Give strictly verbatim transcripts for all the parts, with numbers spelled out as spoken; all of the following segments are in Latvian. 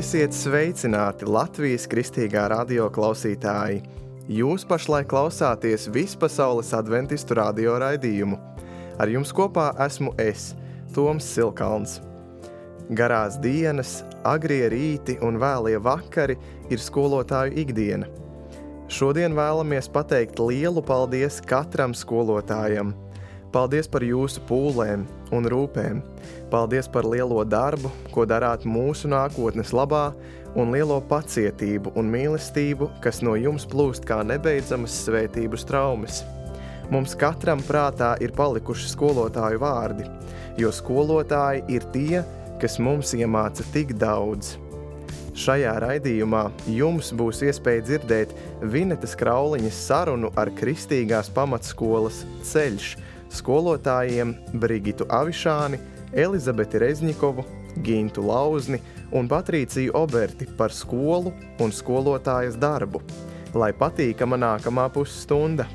Esiet sveicināti Latvijas kristīgā radio klausītāji! Jūs pašlaik klausāties Vispasaules adventistu radio raidījumu. Ar jums kopā esmu es, Toms Silkalns. Garās dienas, agrie rīti un vēlie vakari ir skolotāju ikdiena. Šodien vēlamies pateikt lielu paldies katram skolotājam. Paldies par jūsu pūlēm un rūpēm. Paldies par lielo darbu, ko darāt mūsu nākotnes labā, un lielo pacietību un mīlestību, kas no jums plūst kā nebeidzamas svētību straumes. Mums katram prātā ir palikuši skolotāju vārdi, jo skolotāji ir tie, kas mums iemāca tik daudz. Šajā raidījumā jums būs iespēja dzirdēt Vinetas Krauliņas sarunu ar kristīgās pamatskolas Ceļš skolotājiem Brigitu Avišāni, Elizabeti Rezņikovu, Gintu Lauzni un Patrīciju Oberti par skolu un skolotājas darbu. Lai patīkama nākamā pusstunda!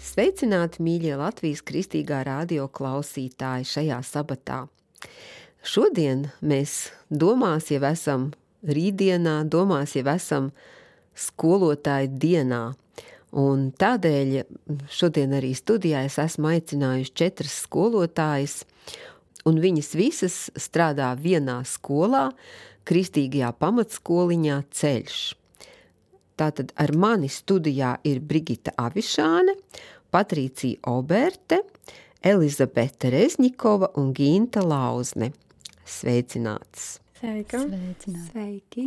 Sveicināti, mīļie Latvijas kristīgā radio klausītāji šajā sabatā. Šodien mēs domās jau esam rītdienā, domās jau esam skolotāju dienā. Un tādēļ šodien arī studijā es esmu aicinājuši četras skolotājas, un viņas visas strādā vienā skolā, kristīgajā pamatskoliņā Ceļš. Tātad ar mani studijā ir Brigita Avišāne, Patrīcija Oberte, Elizabete Rezņikova un Ginta Lauzne. Sveicināts! Sveika! Sveicināti! Sveiki!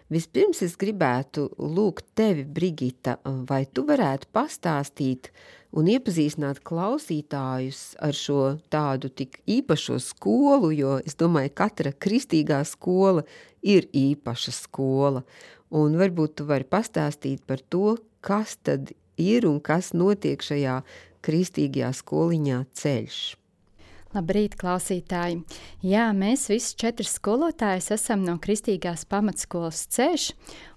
Vispirms es gribētu lūgt tevi, Brigita, vai tu varētu pastāstīt un iepazīstināt klausītājus ar šo tādu tik īpašo skolu, jo es domāju, katra kristīgā skola ir īpaša skola. Un varbūt tu vari pastāstīt par to, kas tad ir un kas notiek šajā kristīgajā skoliņā Ceļš. Labrīt, klausītāji! Jā, mēs visi četri skolotājas esam no kristīgās pamatskolas Ceļš,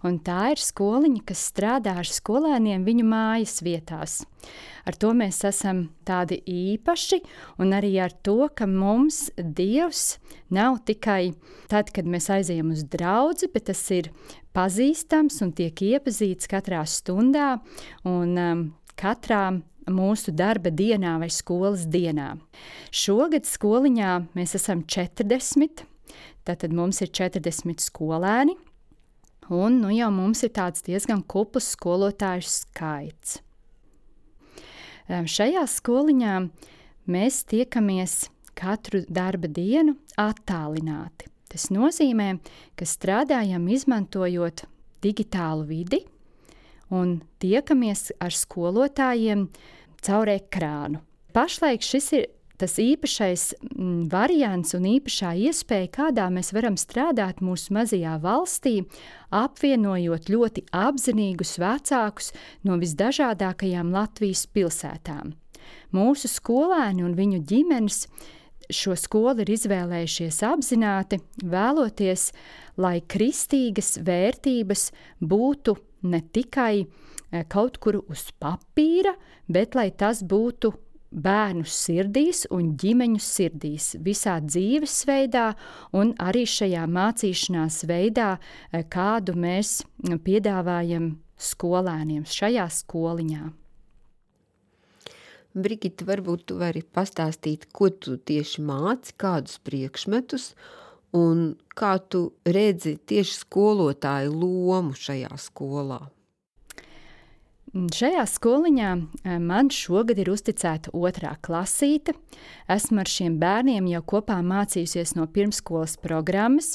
un tā ir skoliņa, kas strādā ar skolēniem viņu mājas vietās. Ar to mēs esam tādi īpaši, un arī ar to, ka mums Dievs nav tikai tad, kad mēs aizejam uz draudzi, bet tas ir pazīstams un tiek iepazīts katrā stundā un um, katrā mūsu darba dienā vai skolas dienā. Šogad skoliņā mēs esam četrdesmit, tātad mums ir četrdesmit skolēni, un nu jau mums ir tāds diezgan kupls skolotāju skaits. Šajā skoliņā mēs tiekamies katru darba dienu attālināti. Tas nozīmē, ka strādājam izmantojot digitālu vidi un tiekamies ar skolotājiem caur ekrānu. Pašlaik šis ir tas īpašais m, variants un īpašā iespēja, kādā mēs varam strādāt mūsu mazajā valstī, apvienojot ļoti apzinīgus vecākus no visdažādākajām Latvijas pilsētām. Mūsu skolēni un viņu ģimenes šo skolu ir izvēlējušies apzināti, vēloties, lai kristīgas vērtības būtu ne tikai kaut kur uz papīra, bet lai tas būtu bērnu sirdīs un ģimeņu sirdīs, visā dzīvesveidā un arī šajā mācīšanās veidā, kādu mēs piedāvājam skolēniem šajā skoliņā. Brigita, varbūt tu vari pastāstīt, ko tu tieši māci, kādus priekšmetus, un kā tu redzi tieši skolotāju lomu šajā skolā? Šajā skoliņā man šogad ir uzticēta otrā klasīte. Esmu ar šiem bērniem jau kopā mācījusies no pirmskolas programmas,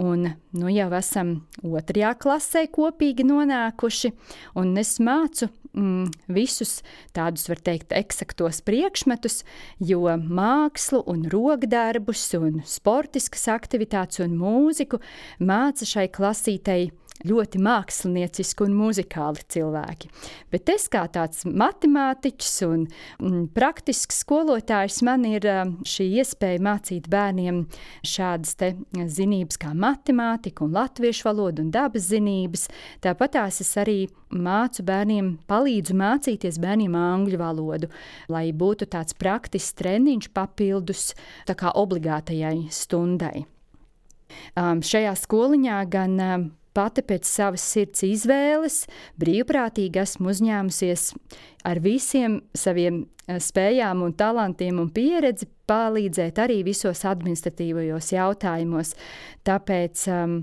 un nu jau esam otrajā klasē kopīgi nonākuši, un es mācu mm, visus tādus, var teikt, eksaktos priekšmetus, jo mākslu un rokdarbus un sportiskas aktivitātes un mūziku māca šai klasītei ļoti mākslinieciski un muzikāli cilvēki. Bet es kā tāds matemātiķis un mm, praktisks skolotājs, man ir šī iespēja mācīt bērniem šādas te zinības kā matemātika un latviešu valoda un dabas zinības. Tāpat tās es arī mācu bērniem, palīdzu mācīties bērniem angļu valodu, lai būtu tāds praktisks treniņš papildus tā kā obligātajai stundai. Um, šajā skoliņā gan um, pati pēc savas sirds izvēles brīvprātīgi esmu uzņēmusies ar visiem saviem uh, spējām un talantiem un pieredzi palīdzēt arī visos administratīvajos jautājumos. Tāpēc um,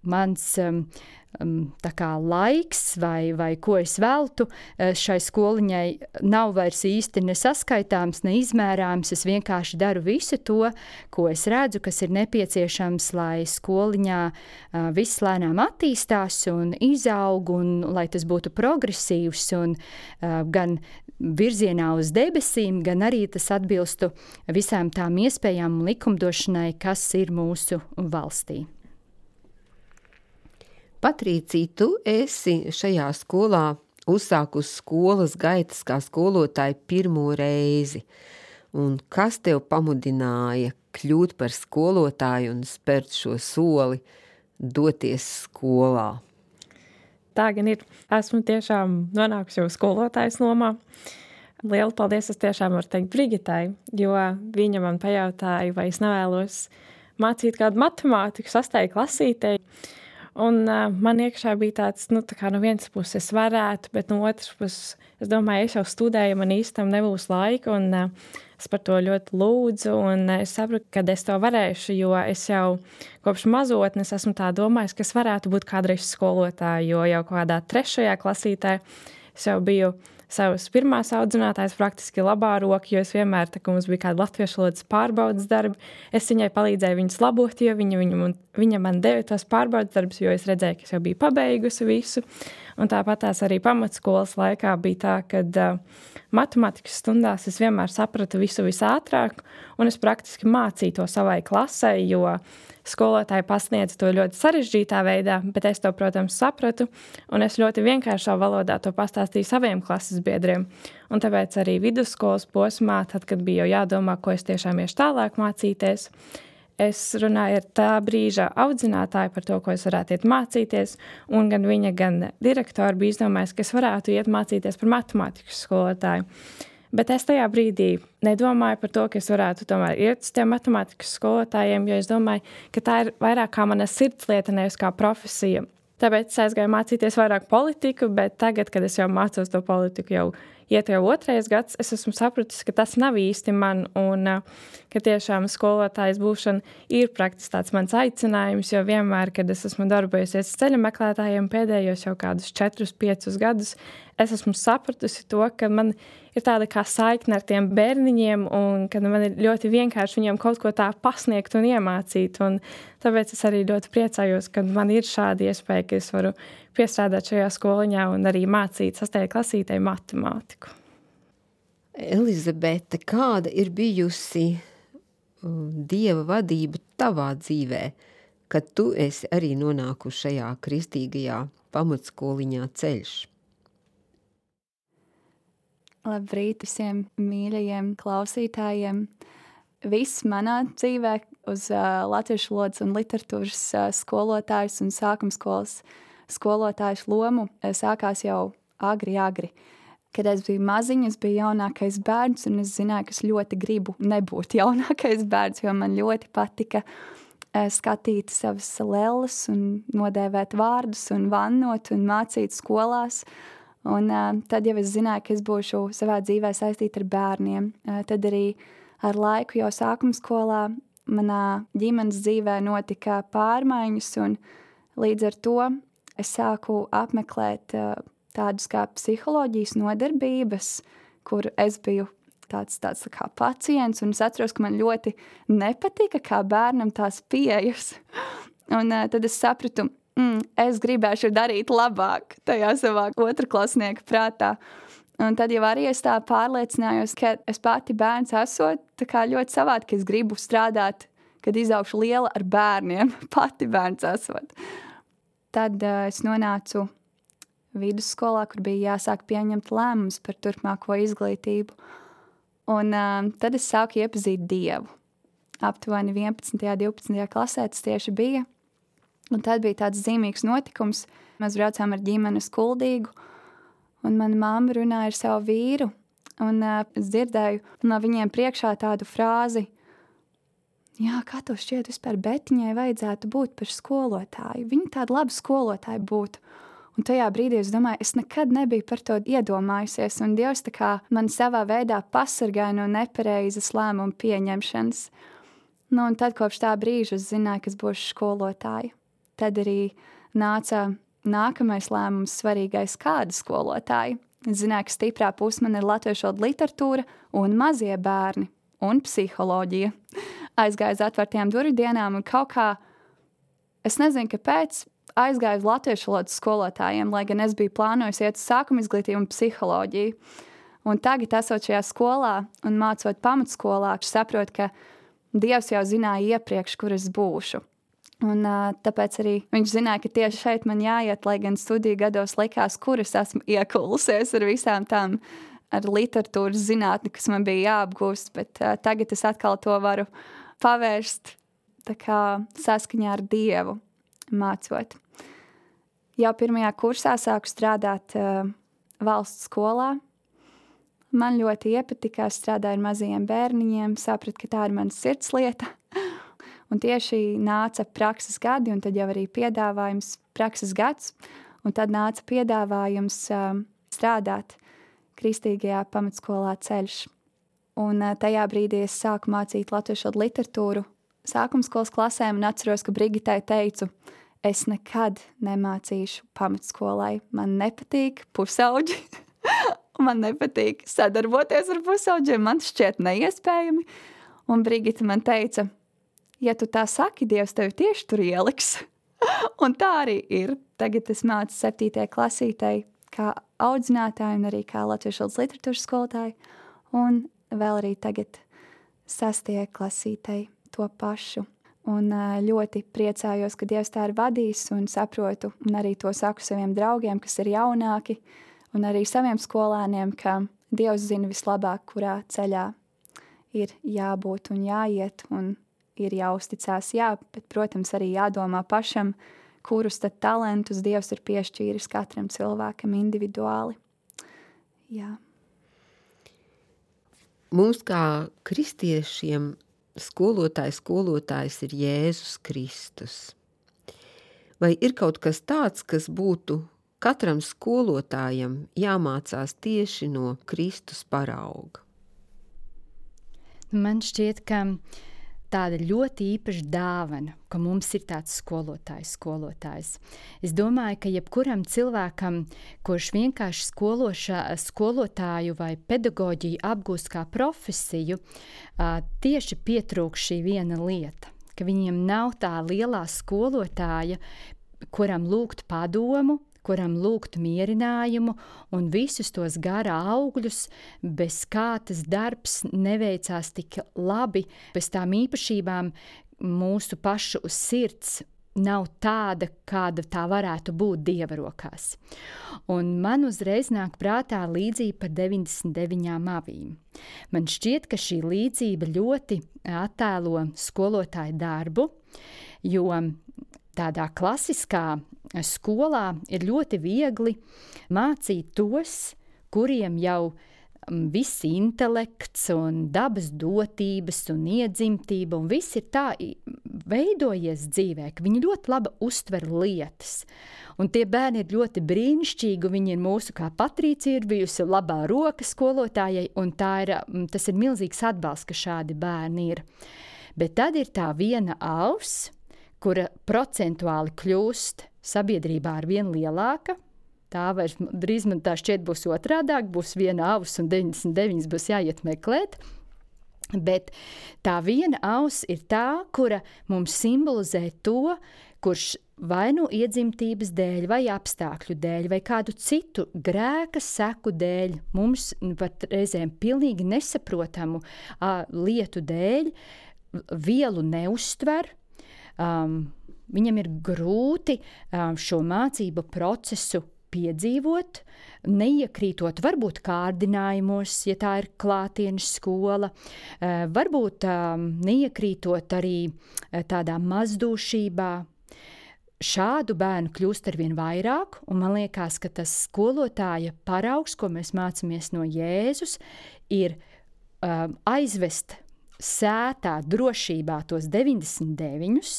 mans um, tā kā laiks vai, vai ko es veltu šai skoliņai nav vairs īsti nesaskaitāms, neizmērāms. Es vienkārši daru visu to, ko es redzu, kas ir nepieciešams, lai skoliņā viss lēnām attīstās un izaug, un lai tas būtu progresīvs un gan virzienā uz debesīm, gan arī tas atbilstu visām tām iespējām un likumdošanai, kas ir mūsu valstī. Patrīcija, tu esi šajā skolā uzsākusi skolas gaitas kā skolotāja pirmo reizi. Un kas tev pamudināja kļūt par skolotāju un spērt šo soli, doties skolā? Tā gan ir. Esmu tiešām nonākusi jau skolotājas lomā. Lielu paldies es tiešām varu teikt Brigitai, jo viņa man pajautāja, vai es nevēlos mācīt kādu matemātiku sastajai klasītei. Un uh, man iekšā bija tāds, nu, tā kā no vienas puses es varētu, bet no otras puses, es domāju, es jau studēju, man īstam nebūs laika, un uh, es par to ļoti lūdzu, un uh, es sapratu, kad es to varēšu, jo es jau kopš mazotnes esmu tā domājis, ka es varētu būt kādreiz skolotāja, jo jau kādā trešajā klasītē es jau biju savas pirmās audzinātājas praktiski labā roka, jo es vienmēr, tā kā mums bija kāda latviešu valodas pārbaudas darbi, es viņai palīdzēju viņas labot, jo viņa, viņa, viņa man deva tos pārbaudas darbus, jo es redzēju, ka es jau biju pabeigusi visu. Un tāpat tās arī pamatskolas laikā bija tā, kad uh, matemātikas stundās es vienmēr sapratu visu visātrāk, un es praktiski mācīju to savai klasē, jo skolotāji pasniedz to ļoti sarežģītā veidā, bet es to, protams, sapratu, un es ļoti vienkāršā valodā to pastāstīju saviem klases biedriem. Un tāpēc arī vidusskolas posmā, tad, kad bija jau jādomā, ko es tiešām iešu tālāk mācīties, es runāju ar tā brīža audzinātāju par to, ko es varētu iet mācīties, un gan viņa, gan direktori bija izdomājis, ka es varētu iet mācīties par matemātikas skolotāju. Bet es tajā brīdī nedomāju par to, ka es varētu tomēr iet uz tiem matemātikas skolotājiem, jo es domāju, ka tā ir vairāk kā mana sirdslieta, nevis kā profesija. Tāpēc es aizgāju mācīties vairāk politiku, bet tagad, kad es jau mācos to politiku jau iet jau otrais gads, es esmu sapratis, ka tas nav īsti man, un ka tiešām skolotājs būšana ir praktiski tāds mans aicinājums, jo vienmēr, kad es esmu darbojusies ceļa meklētājiem pēdējos jau kādus četrus, piecus gadus, es esmu sapratusi to, ka man ir tāda kā saikne ar tiem bērniņiem, un ka man ir ļoti vienkārši viņiem kaut ko tā pasniegt un iemācīt, un tāpēc es arī ļoti priecājos, ka man ir šāda iespēja, ka es varu piestrādāt šajā skoliņā un arī mācīt sastajai klasītei matemātiku. Elizabete, kāda ir bijusi Dieva vadība tavā dzīvē, kad tu esi arī nonākusi šajā kristīgajā pamatskoliņā Ceļš? Labrīt visiem mīļajiem klausītājiem. Viss manā dzīvē uz uh, latviešu valodas un literatūras uh, skolotājus un sākumskolas skolotājus lomu sākās jau agri, agri. Kad es biju maziņa, es biju jaunākais bērns, un es zināju, ka es ļoti gribu nebūt jaunākais bērns, jo man ļoti patika uh, skatīt savas lelles un nodēvēt vārdus un vannot un mācīt skolās. Un uh, tad jau es zināju, ka es būšu savā dzīvē saistīta ar bērniem. Uh, tad arī ar laiku jau sākuma skolā manā ģimenes dzīvē notika pārmaiņas, un līdz ar to es sāku apmeklēt uh, tādus kā psiholoģijas nodarbības, kur es biju tāds, tāds tā kā pacients, un es atceros, ka man ļoti nepatika kā bērnam tās pieejas. Un uh, tad es sapratu, Mm, es gribēšu darīt labāk tajā savā otrklasnieka prātā. Un tad jau arī es tā pārliecinājos, ka es pati bērns esot, tā kā ļoti savādi, ka es gribu strādāt, kad izaugšu liela ar bērniem, pati bērns esot. tad uh, es nonācu vidusskolā, kur bija jāsāk pieņemt lēmumus par turpmāko izglītību. Un uh, tad es sāku iepazīt Dievu. Aptuveni vienpadsmitajā, divpadsmitajā klasē tas tieši bija. Un tad bija tāds zīmīgs notikums. Mēs braucām ar ģimeni uz Kuldīgu, un mana mamma runāja ar savu vīru, un uh, es dzirdēju no viņiem priekšā tādu frāzi: jā, kā tev šķiet, vispār Betiņai vajadzētu būt par skolotāju. Viņa tāda laba skolotāja būtu. Un tajā brīdī es domāju, es nekad nebiju par to iedomājusies, un Dievs tā kā man savā veidā pasargāja no nepareizas lēmumu pieņemšanas. Nu, un tad kopš tā brīža es zināju, ka es būšu skolotāja. Tad arī nāca nākamais lēmums svarīgais, kāda skolotāja. Es zināju, ka stiprā puse man ir latviešu valoda literatūra un mazie bērni un psiholoģija. Aizgāju uz atvērtajām durvju dienām un kaut kā, es nezinu, kāpēc, aizgāju uz latviešu valodas skolotājiem, lai gan es biju plānojusi iet uz sākuma izglītību un psiholoģiju. Un tagad, esot šajā skolā un mācot pamatskolā, es saprotu, ka Dievs jau zināja iepriekš, kur es būšu. Un uh, tāpēc arī viņš zināja, ka tieši šeit man jāiet, lai gan studiju gados likās, kur es esmu iekulusies ar visām tām ar literatūras zinātni, kas man bija jāapgūst, bet uh, tagad es atkal to varu pavērst tā kā saskaņā ar Dievu mācot. Jau pirmajā kursā sāku strādāt uh, valsts skolā. Man ļoti iepatikās strādāt ar mazajiem bērniņiem, sapratu, ka tā ir mana sirdslieta. Un tieši nāca prakses gadi, un tad jau arī piedāvājums prakses gads, un tad nāca piedāvājums uh, strādāt kristīgajā pamatskolā Ceļš. Un uh, tajā brīdī es sāku mācīt latviešu valodu literatūru sākumskolas klasēm, un atceros, ka Brigitai teicu, es nekad nemācīšu pamatskolai. Man nepatīk pusauģi, man nepatīk sadarboties ar pusauģiem, man šķiet neiespējami. Un Brigita man teica, ja tu tā saki, Dievs tevi tieši tur ieliks. Un tā arī ir. Tagad es mācu septītajai klasītei kā audzinātāju un arī kā latviešu valodas literatūras skolotāju. Un vēl arī tagad sastajai klasītei to pašu. Un ļoti priecājos, ka Dievs tā ir vadījis un saprotu, un arī to saku saviem draugiem, kas ir jaunāki, un arī saviem skolēniem, ka Dievs zina vislabāk, kurā ceļā ir jābūt un jāiet, un ir jāuzticās, jā, bet, protams, arī jādomā pašam, kurus tad talentus Dievs ir piešķīris katram cilvēkam individuāli. Jā. Mums kā kristiešiem skolotājs, skolotājs ir Jēzus Kristus. Vai ir kaut kas tāds, kas būtu katram skolotājam jāmācās tieši no Kristus parauga? Man šķiet, ka tāda ļoti īpaša dāvana, ka mums ir tāds skolotājs, skolotājs. Es domāju, ka jebkuram cilvēkam, kurš vienkārši skološā, skolotāju vai pedagoģiju apgūst kā profesiju, tieši pietrūkst šī viena lieta, ka viņiem nav tā lielā skolotāja, kuram lūgt padomu, kuram lūgt mierinājumu un visus tos gara augļus, bez kā tas darbs neveicās tik labi, bez tām īpašībām mūsu pašu sirds nav tāda, kāda tā varētu būt Dieva rokās. Un man uzreiz nāk prātā līdzība par deviņdesmit deviņām avīm. Man šķiet, ka šī līdzība ļoti attēlo skolotāju darbu, jo tādā klasiskā skolā ir ļoti viegli mācīt tos, kuriem jau viss intelekts un dabas dotības un iedzimtība un viss ir tā veidojies dzīvē, ka viņi ļoti labi uztver lietas. Un tie bērni ir ļoti brīnišķīgi, viņi ir mūsu, kā Patricija ir bijusi labā roka skolotājai, un tā ir, tas ir milzīgs atbalsts, ka šādi bērni ir. Bet tad ir tā viena auss, kura procentuāli kļūst sabiedrībā ar vien lielāka. Tā vairs drīz man tā šķiet būs otrādāk, būs viena auss un deviņdesmit deviņas būs jāiet meklēt. Bet tā viena auss ir tā, kura mums simbolizē to, kurš vai nu iedzimtības dēļ, vai apstākļu dēļ, vai kādu citu grēka seku dēļ, mums pat reizēm pilnīgi nesaprotamu a, lietu dēļ vielu neuztver, um, viņam ir grūti um, šo mācību procesu piedzīvot, neiekrītot varbūt kārdinājumos, ja tā ir klātienes skola, uh, varbūt um, neiekrītot arī uh, tādā mazdūšībā. Šādu bērnu kļūst arvien vairāk, un man liekas, ka tas skolotāja paraugs, ko mēs mācāmies no Jēzus, ir um, aizvest sētā drošībā tos deviņdesmit deviņus,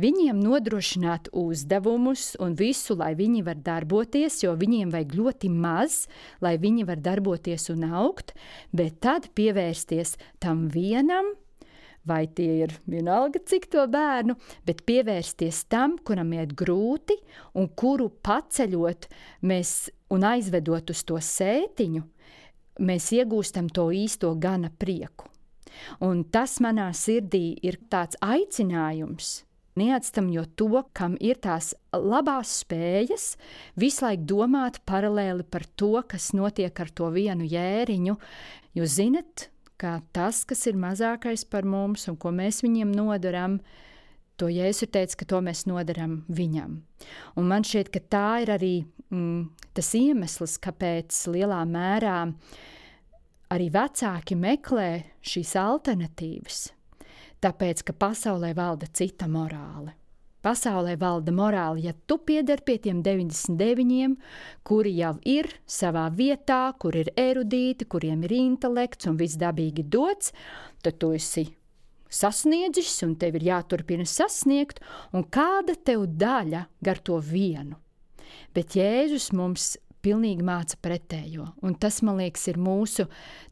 viņiem nodrošināt uzdevumus un visu, lai viņi var darboties, jo viņiem vajag ļoti maz, lai viņi var darboties un augt, bet tad pievērsties tam vienam, vai tie ir vienalga cik to bērnu, bet pievērsties tam, kuram iet grūti un kuru paceļot mēs un aizvedot uz to sētiņu, mēs iegūstam to īsto gana prieku. Un tas manā sirdī ir tāds aicinājums, neatstamjot to, kam ir tās labās spējas, visu laiku domāt paralēli par to, kas notiek ar to vienu jēriņu, jo zinat, ka tas, kas ir mazākais par mums un ko mēs viņiem nodaram, to Jēzus ir teicis, ka to mēs nodaram viņam. Un man šķiet, ka tā ir arī mm, tas iemesls, kāpēc lielā mērā arī vecāki meklē šīs alternatīvas, tāpēc, ka pasaulē valda cita morāle. Pasaulē valda morāli, ja tu pieder pie tiem deviņdesmit deviņiem, kuri jau ir savā vietā, kur ir erudīti, kuriem ir intelekts un viss dabīgi dots, tad tu esi sasniedzis un tev ir jāturpina sasniegt, un kāda tev daļa gar to vienu. Bet Jēzus mums pilnīgi māca pretējo, un tas, man liekas, ir mūsu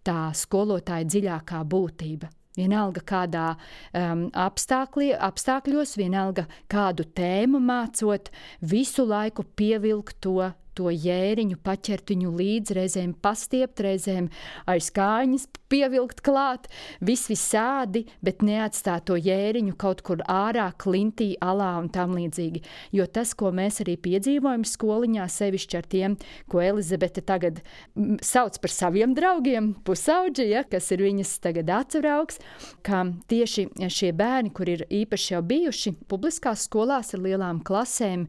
tā skolotāja dziļākā būtība. Vienalga kādā um, apstākļi, apstākļos, vienalga kādu tēmu mācot, visu laiku pievilkt to, to jēriņu, paķert viņu līdz, reizēm pastiept, reizēm aiz kājiņas pievilkt klāt, vis visādi, bet neatstāt to jēriņu kaut kur ārā, klintī, alā un tam līdzīgi. Jo tas, ko mēs arī piedzīvojam skoliņā, sevišķi ar tiem, ko Elizabete tagad sauc par saviem draugiem, pusauģi, ja, kas ir viņas tagad atsvaraugs, ka tieši šie bērni, kur ir īpaši jau bijuši publiskās skolās ar lielām klasēm,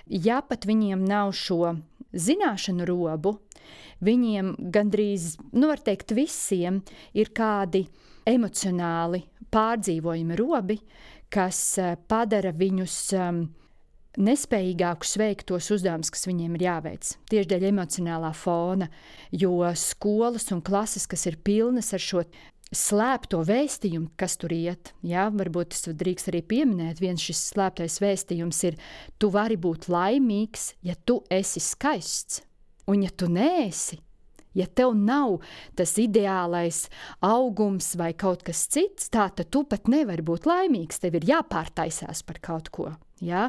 ja pat viņiem nav šo zināšanu robu, viņiem gandrīz, nu var teikt visiem, ir kādi emocionāli pārdzīvojumi robi, kas padara viņus um, nespējīgākus veikt tos uzdevumus, kas viņiem ir jāveic. Tieši dēļ emocionālā fona, jo skolas un klases, kas ir pilnas ar šo slēpto vēstījumu, kas tur iet, jā, varbūt es drīkst arī pieminēt, viens šis slēptais vēstījums ir, tu vari būt laimīgs, ja tu esi skaists, un ja tu neesi, ja tev nav tas ideālais augums vai kaut kas cits, tā tad tu pat nevari būt laimīgs, tev ir jāpārtaisās par kaut ko. Ja?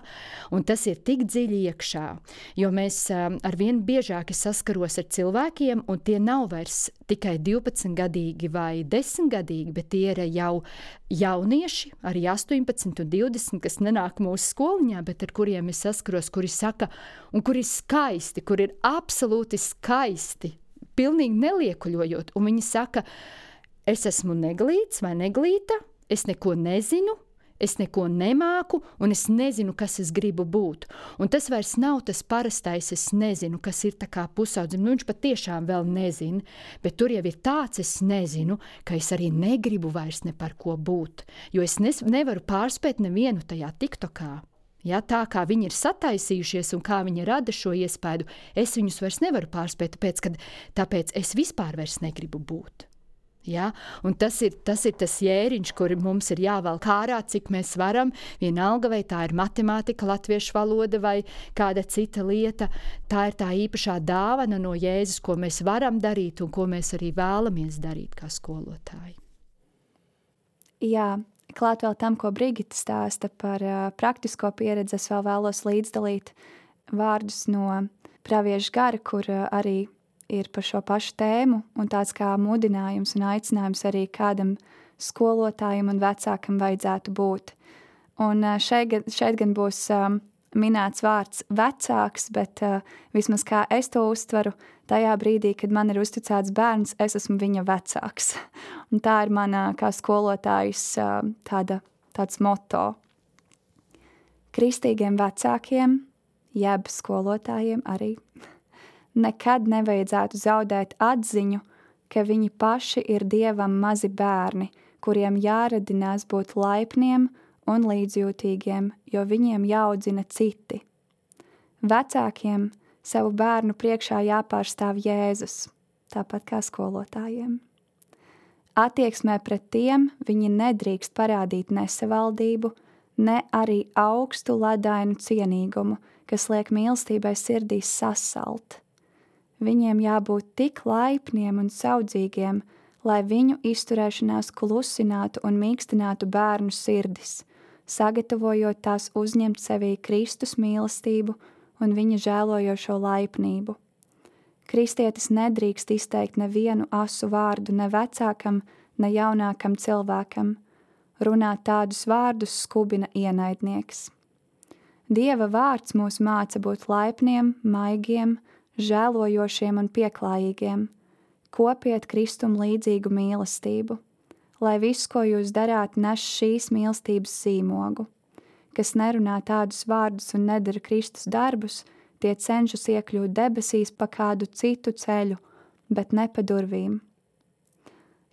Un tas ir tik dziļi iekšā, jo mēs um, arvien biežāk saskaros ar cilvēkiem, un tie nav vairs tikai divpadsmitgadīgi vai desmitgadīgi, bet tie ir jau jaunieši, arī astoņpadsmit un divdesmit, kas nenāk mūsu skoliņā, bet ar kuriem es saskaros, kuri saka, un kuri ir skaisti, kuri ir absolūti skaisti, pilnīgi neliekuļojot, un viņi saka, es esmu neglīts vai neglīta, es neko nezinu, es neko nemāku, un es nezinu, kas es gribu būt. Un tas vairs nav tas parastais, es nezinu, kas ir tā kā pusaudzim. Nu, viņš pat tiešām vēl nezina, bet tur jau ir tāds, es nezinu, ka es arī negribu vairs ne par ko būt. Jo es nes, nevaru pārspēt nevienu tajā tiktokā. Ja, tā kā viņi ir sataisījušies un kā viņi rada šo iespaidu, es viņus vairs nevaru pārspēt, tāpēc, kad, tāpēc es vispār vairs negribu būt. Ja? Un tas ir, tas ir tas jēriņš, kur mums ir jāvelk ārā, cik mēs varam, vienalga vai tā ir matemātika, latviešu valoda vai kāda cita lieta. Tā ir tā īpašā dāvana no Jēzus, ko mēs varam darīt un ko mēs arī vēlamies darīt kā skolotāji. Jā, klāt vēl tam, ko Brigita stāsta par uh, praktisko pieredzi, es vēl vēlos līdzdalīt vārdus no pravieša gara, kur uh, arī ir par šo pašu tēmu un tāds kā mudinājums un aicinājums arī kādam skolotājam un vecākam vajadzētu būt. Un šeit, šeit gan būs um, minēts vārds vecāks, bet uh, vismaz kā es to uztveru, tajā brīdī, kad man ir uzticēts bērns, es esmu viņa vecāks. Un tā ir mana kā skolotājas uh, tāda, tāds moto. Kristīgiem vecākiem, jeb skolotājiem arī, nekad nevajadzētu zaudēt atziņu, ka viņi paši ir Dievam mazi bērni, kuriem jāradinās būt laipniem un līdzjūtīgiem, jo viņiem jāaudzina citi. Vecākiem savu bērnu priekšā jāpārstāv Jēzus, tāpat kā skolotājiem. Attieksmē pret tiem viņi nedrīkst parādīt nesavaldību, ne arī augstu ledainu cienīgumu, kas liek mīlestībai sirdīs sasalt. Viņiem jābūt tik laipniem un saudzīgiem, lai viņu izturēšanās klusinātu un mīkstinātu bērnu sirdis, sagatavojot tās uzņemt sevī Kristus mīlestību un viņa žēlojošo laipnību. Kristietis nedrīkst izteikt nevienu asu vārdu ne vecākam, ne jaunākam cilvēkam. Runāt tādus vārdus skubina ienaidnieks. Dieva vārds mūs māca būt laipniem, maigiem, žēlojošiem un pieklājīgiem. Kopiet Kristum līdzīgu mīlestību, lai viss, ko jūs darāt, nes šīs mīlestības zīmogu. Kas nerunā tādus vārdus un nedara Kristus darbus, tie cenšas iekļūt debesīs pa kādu citu ceļu, bet ne pa durvīm.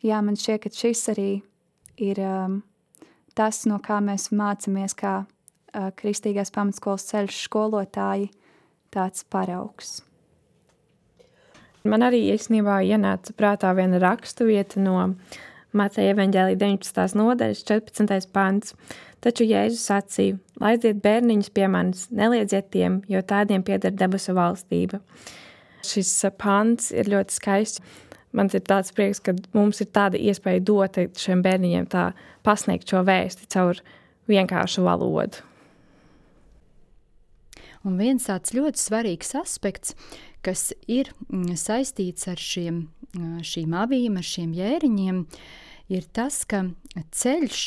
Jā, man šķiet, ka šis arī ir um, tas, no kā mēs mācamies kā uh, Kristīgās pamatskolas ceļš skolotāji, tāds paraugs. Man arī īstenībā ienāca prātā viena rakstu vieta no Mateja evaņģēlija deviņpadsmitās nodaļas četrpadsmitais pants. Taču Jēzus sacīja, laidziet bērniņus pie manis, neliedziet tiem, jo tādiem pieder debesu valstība. Šis pants ir ļoti skaists. Man ir tāds prieks, ka mums ir tāda iespēja dot šiem bērniņiem tā pasniegt šo vēsti caur vienkāršu valodu. Un viens tāds ļoti svarīgs aspekts, kas ir saistīts ar šiem, šīm avīm, ar šiem jēriņiem, ir tas, ka ceļš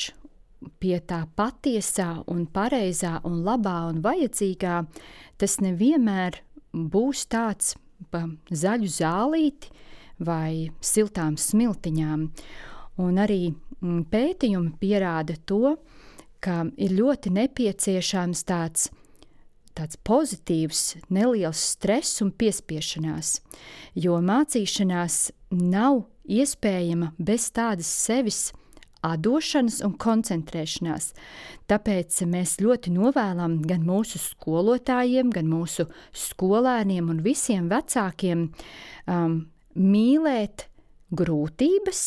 pie tā patiesā un pareizā un labā un vajadzīgā, tas nevienmēr būs tāds pa zaļu zālīti vai siltām smiltiņām. Un arī pētījumi pierāda to, ka ir ļoti nepieciešams tāds, tāds pozitīvs, neliels stress un piespiešanās, jo mācīšanās nav iespējama bez tādas sevis atdošanas un koncentrēšanās. Tāpēc mēs ļoti novēlam gan mūsu skolotājiem, gan mūsu skolēniem un visiem vecākiem um, mīlēt grūtības,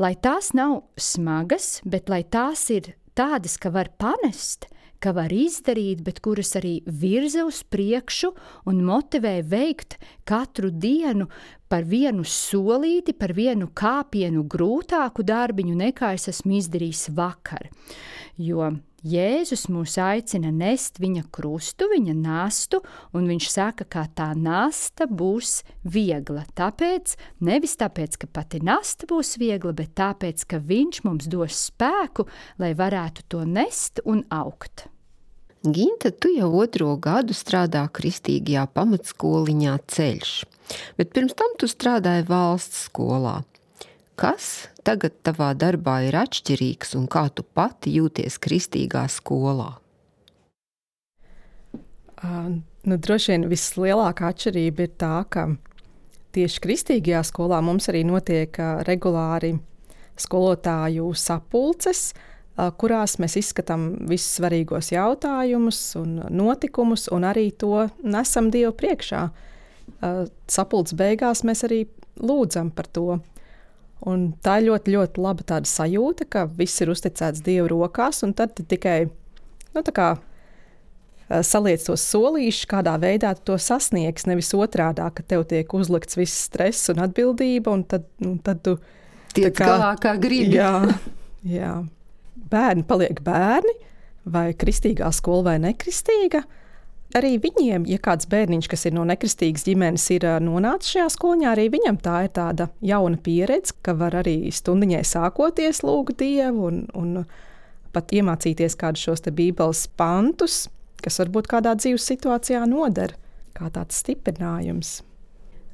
lai tās nav smagas, bet lai tās ir tādas, ka var panest, ka var izdarīt, bet kuras arī virza uz priekšu un motivē veikt katru dienu par vienu solīti, par vienu kāpienu grūtāku darbiņu, nekā es esmu izdarījis vakar. Jo Jēzus mūs aicina nest viņa krustu, viņa nastu, un viņš saka, ka tā nasta būs viegla. Tāpēc, nevis tāpēc, ka pati nasta būs viegla, bet tāpēc, ka viņš mums dos spēku, lai varētu to nest un augt. Ginta, tu jau otro gadu strādā kristīgajā pamatskoliņā Ceļš, bet pirms tam tu strādāji valsts skolā. Kas tagad tavā darbā ir atšķirīgs un kā tu pati jūties kristīgā skolā? Uh, nu, droši vien vislielākā atšķirība ir tā, ka tieši kristīgajā skolā mums arī notiek uh, regulāri skolotāju sapulces, uh, kurās mēs izskatām visus svarīgos jautājumus un notikumus un arī to nesam Dievu priekšā. Uh, sapulces beigās mēs arī lūdzam par to. Un tā ir ļoti, ļoti laba tāda sajūta, ka viss ir uzticēts Dieva rokās, un tad tikai nu, tā kā, saliec tos solīšus, kādā veidā tu to sasniegs, nevis otrādā, ka tev tiek uzlikts viss stress un atbildība, un tad, un tad tu... Tiec kā, galā kā gribi. Jā, jā. Bērni paliek bērni, vai kristīgā skola vai nekristīga. Arī viņiem, ja kāds bērniņš, kas ir no nekristīgas ģimenes, ir nonācis šajā skoliņā, arī viņam tā ir tāda jauna pieredze, ka var arī stundiņai sākoties lūgt Dievu un, un pat iemācīties kādus šos te bībeles pantus, kas varbūt kādā dzīves situācijā noder, kā tāds stiprinājums.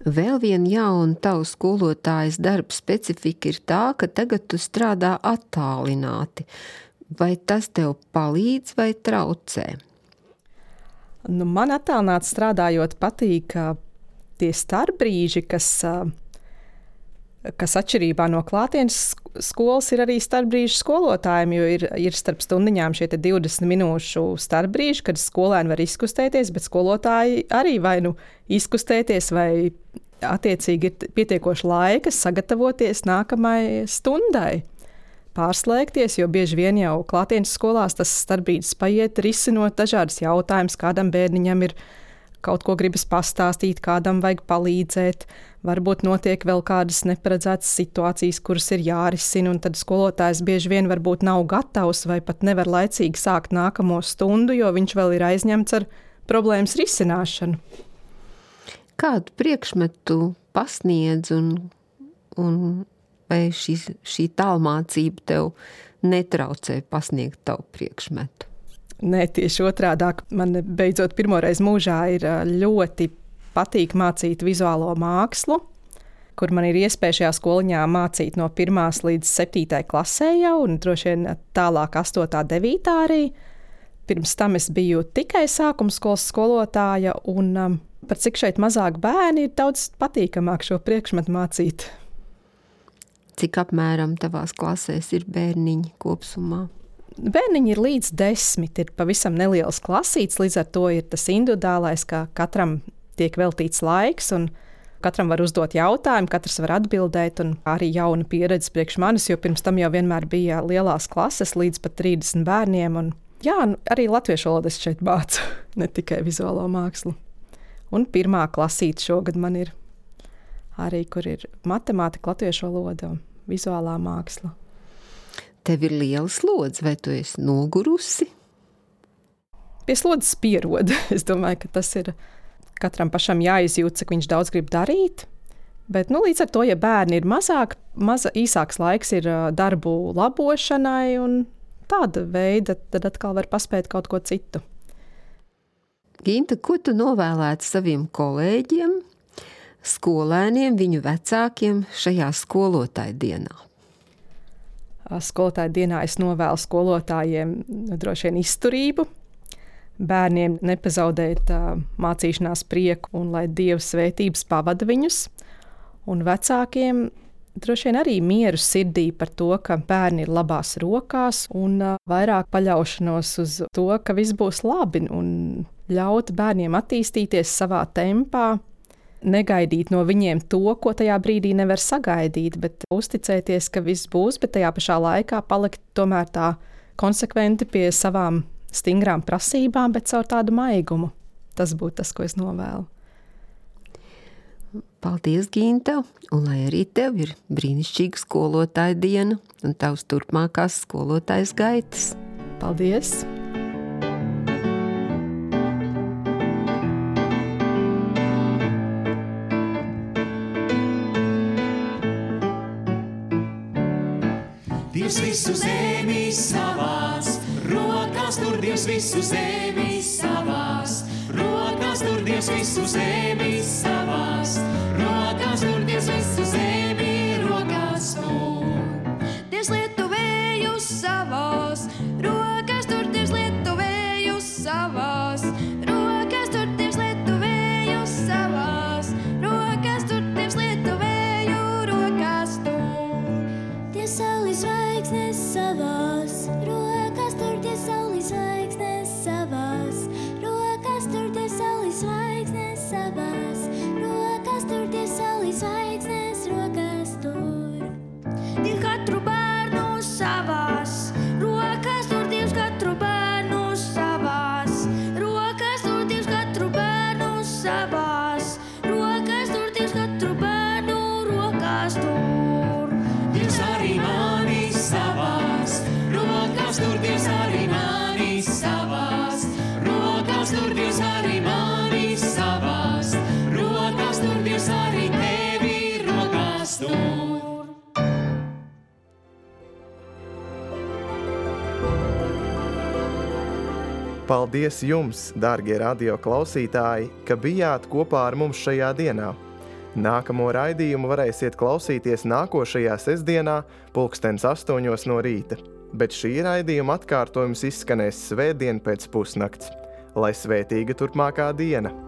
Vēl viena jauna tavu skolotājas darba specifika ir tā, ka tagad tu strādā attālināti. Vai tas tev palīdz vai traucē? Nu, man attālināti strādājot patīk tie starpbrīži, kas, kas atšķirībā no klātienes skolas ir arī starpbrīži skolotājiem, jo ir, ir starp stundiņām šie divdesmit minūšu starpbrīži, kad skolēni var izkustēties, bet skolotāji arī vai nu izkustēties, vai attiecīgi ir pietiekoši laika sagatavoties nākamajai stundai. Pārslēgties, jo bieži vien jau klātienes skolās tas starpbrīdis paiet risinot dažādas jautājumas, kādam bērniņam ir kaut ko gribas pastāstīt, kādam vajag palīdzēt, varbūt notiek vēl kādas neparedzētas situācijas, kuras ir jārisina, un tad skolotājs bieži vien varbūt nav gatavs vai pat nevar laicīgi sākt nākamo stundu, jo viņš vēl ir aizņemts ar problēmas risināšanu. Kādu priekšmetu pasniedz un, un vai šī, šī tālmācība tev netraucē pasniegt tavu priekšmetu? Nē, tieši otrādāk. Man beidzot pirmoreiz mūžā ir ļoti patīk mācīt vizuālo mākslu, kur man ir iespēja šajā skoliņā mācīt no pirmās līdz septītai klasē jau, un droši vien tālāk astotā, devītā arī. Pirms tam es biju tikai sākumskolas skolotāja, un um, par cik šeit mazāk bērni ir daudz patīkamāk šo priekšmetu mācīt. Cik apmēram tavās klasēs ir bērniņi kopsumā? Bērniņi ir līdz desmit, ir pavisam neliels klasīts, līdz ar to ir tas individuālais, ka katram tiek veltīts laiks un katram var uzdot jautājumu, katrs var atbildēt, un arī jauna pieredze priekš manis, jo pirms tam jau vienmēr bija lielās klases līdz pat trīsdesmit bērniem, un jā, arī latviešu valodu es šeit mācu, ne tikai vizuālo mākslu. Un pirmā klasīte šogad man ir arī, kur ir matemātika, latviešu valoda un vizuālā māksla. Tev ir liela slodze, vai tu esi nogurusi? Pie slodzes pierod. Es domāju, ka tas ir katram pašam jāizjūt, cik viņš daudz grib darīt. Bet nu, līdz ar to, ja bērni ir mazāk, maza, īsāks laiks ir darbu labošanai un tāda veida, tad atkal var paspēt kaut ko citu. Ginta, ko tu novēlētu saviem kolēģiem, skolēniem, viņu vecākiem šajā skolotāju dienā? Skolotāju dienā es novēlu skolotājiem droši vien izturību, bērniem nepazaudēt uh, mācīšanās prieku un lai Dieva svētības pavada viņus, un vecākiem droši vien arī mieru sirdī par to, ka bērni ir labās rokās un uh, vairāk paļaušanos uz to, ka viss būs labi un ļaut bērniem attīstīties savā tempā, negaidīt no viņiem to, ko tajā brīdī nevar sagaidīt, bet uzticēties, ka viss būs, bet tajā pašā laikā palikt tomēr tā konsekventi pie savām stingrām prasībām, bet caur tādu maigumu. Tas būtu tas, ko es novēlu. Paldies, Ginta, un lai arī tev ir brīnišķīga skolotāja diena un tavs turpmākās skolotājas gaitas. Paldies! Dievs visu zemi savās rokās, tur Dievs visu zemi savās rokās, tur Dievs visu zemi savās rokās, tur Dievs visu zemi rokās tur. Dievs lietu vējus savās rokās, tur Dievs lietu vējus savās rokās, tur Dievs lietu vējus savās rokās, tur Dievs lietu vēju rokās tur. Dievs saules zvaigznes savās rokās, tur Dievs saules zvaigznes savās rokās, tur Dievs saules zvaigznes savās rokās, tur Dievs saules zvaigznes rokās tur. Dievs katru bērnu savās rokās, tur Dievs katru bērnu savās rokās, tur Dievs katru bērnu savās rokās, tur Dievs katru bērnu rokās tur. Dievs arī mani savās rokās, tur Dievs arī mani savās rokās, tur Dievs arī mani savās rokās, tur Dievs arī tevi rokās tur. Paldies jums, dārgie radio klausītāji, ka bijāt kopā ar mums šajā dienā. Nākamo raidījumu varēsiet klausīties nākošajā sestdienā, pulkstens astoņos no rīta. bet šī raidījuma atkārtojums izskanēs svētdien pēc pusnakts. Lai svētīga turpmākā diena!